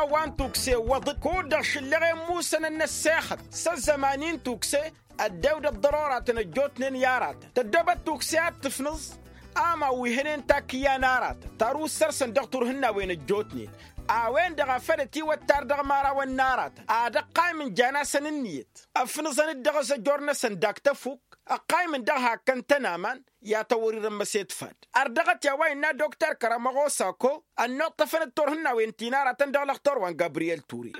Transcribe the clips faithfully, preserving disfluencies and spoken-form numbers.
Wa n-tukse iwwăḍ-dd kud-dăɣ šǝllăɣen musănăn n-ăssexăt s-ăzzăman-in tukse. Ăddewdăt ḍăroratăn ăjjootnen i-aratăn tăddoobăt tukse ad-tǝfnǝẓ amaw wi hănen takǝyya n-aratăn taruss săr-săn dăɣ-turhǝnnawen ăjjootnen. A-wen-dăɣ a făl ătiwăttar dăɣ-imărawăn n-aratăn ad-ăqqaymǝn jan-asăn ǝnniyăt ăfnǝẓăn-dd dăɣ-azăjor-năsăn dak tăfuk ăqqaymǝn dăɣ-hakkăn tăn-aman. I-ad-tăwwăr-irămmăset fad ărdăɣăt i-a-wa innă dokter kăramăɣosako ănnuṭṭăfăn-dd turhǝnnawen ti n-aratăn dăɣ-lăxtor wa n-gabriyel ture.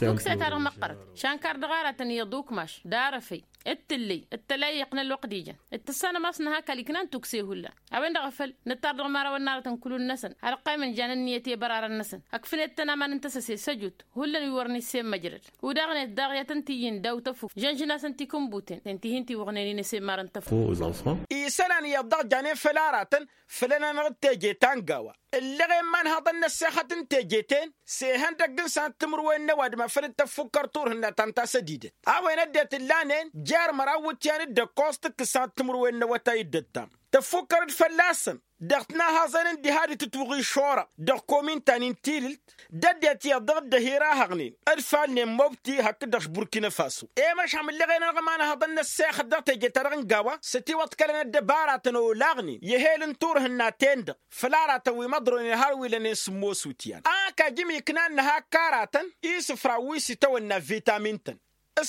Tukse-ta-dăɣ măqqărăt šankar dăɣ-aratăn iyyăḍ ukmaš d-arăfăy d-tǝllăy d-tălăyyăq n-ălwăqq d-ijăn d-tǝssanăm a-s nǝha kăl-iknan tukse hullan. A-wen-dăɣ a făl nǝttar dăɣ-imărawăn n-aratăn kulul-năsăn ad-ăqqaymǝn jan ǝnniyăt i-bărarăn-năsăn ăkfǝnet-tăn aman n-tăsăse s-ăjut hullan wi wăren issemăjrăd. Udăɣnet daɣ i-ad-tăn-t-iyyin daw tăfuk žănžăn-asăn tikǝnbuten ten-ti hin-tiwăɣnen-in ăsemmarăn tăfuk. Isălan iyyăḍ dăɣ-janen făll-aratăn făll-ănanăɣ d-teje ta n-gawa. Ǝllăɣen imanhăḍăn n-ăssexăt n-teje-ten s-ehăndăgg n-sănăt timǝrwen n-ăwadǝm a făl dd-tăffukkăr turhǝnna ta n-tasădidăt. A-wen ăddinăt ǝllanen jer-măraw iwǝtyan d-ǝkkoẓ tǝkkǝs sănăt timǝrwen n-awătay d-ăttam tăffukkăr-dd fălla-săn. Dăɣ-tinahăẓen n-diha d-tǝtwăɣ išorăɣ dăɣ-komin ta n-intilǝlt d-ăddinăt iyyăḍ dăɣ-dd-ehir a hăɣnen d-falnen mobti hakd-dăɣ š-burkina faso. I-măšham ǝlleɣ-en-dăɣ imanhăḍăn n-ăssexăt dăɣ-teje-ta-dăɣ n-gawa s-ătiwăḍkălăn ăddăbaratăn olaɣnen i-ehel n-turhǝnna-ten-dăɣ. Făll-aratăn wi măḍroynen har wi lănen sǝmmos iwǝtyan ak ajǝm iknan n-ehak aratăn isǝfraw wi s-itawănna vitamin-tăn.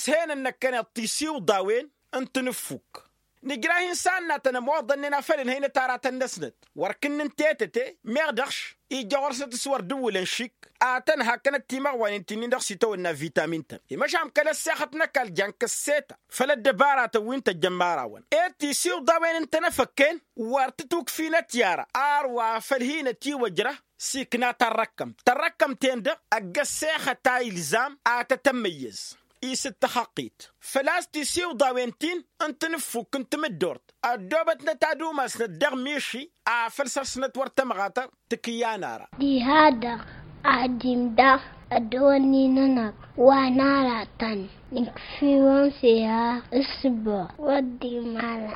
S-henăn năkkăneḍ tisiwḍawen n-tinǝffuk. Nǝjrah-in s-annatăn ămoḍănnen a făl ǝnhăynăt aratăn-năsnăt wăr kǝnnǝn tetăte meɣ dăɣ-š ija ɣur-snăt s-wăr dd-ǝwwǝlăn šik. Ad-tăn-hakkănăt timăɣwanen ti-nin-dăɣ s-itawănna vitamin-tăn i-măšan kăl-ăssexăt n-ăkall jan kăsseta făll-ăddăbaratăn wi n-tăjjăn imărawăn ed tisiwḍawen n-tenăfăkken. Wăr tǝtukfinăt i-ara ar wa făl hin-ătiwăjrăh s-ikna tarrăkkămt tarrăkkămt-en-dăɣ ăgg-ăssexăt a ilzam ad-tăt-ămmăyyăz. Isǝttăxăqqit făl-a-s tisiwḍawen-tin n-tinǝffuk n-tamǝddurt ăddoobătnăt ad-umasnăt dăɣ-miši afăl săr-snăt wăr tămɣatăr. Tǝkǝyya n-ara. Diha-dăɣ ad-dd-imdăɣ ăddăwănni-nănăɣ wa n-aratăn nǝkf'-iwăn s-ehăɣ s-sǝbbuɣ wăr dd-imala.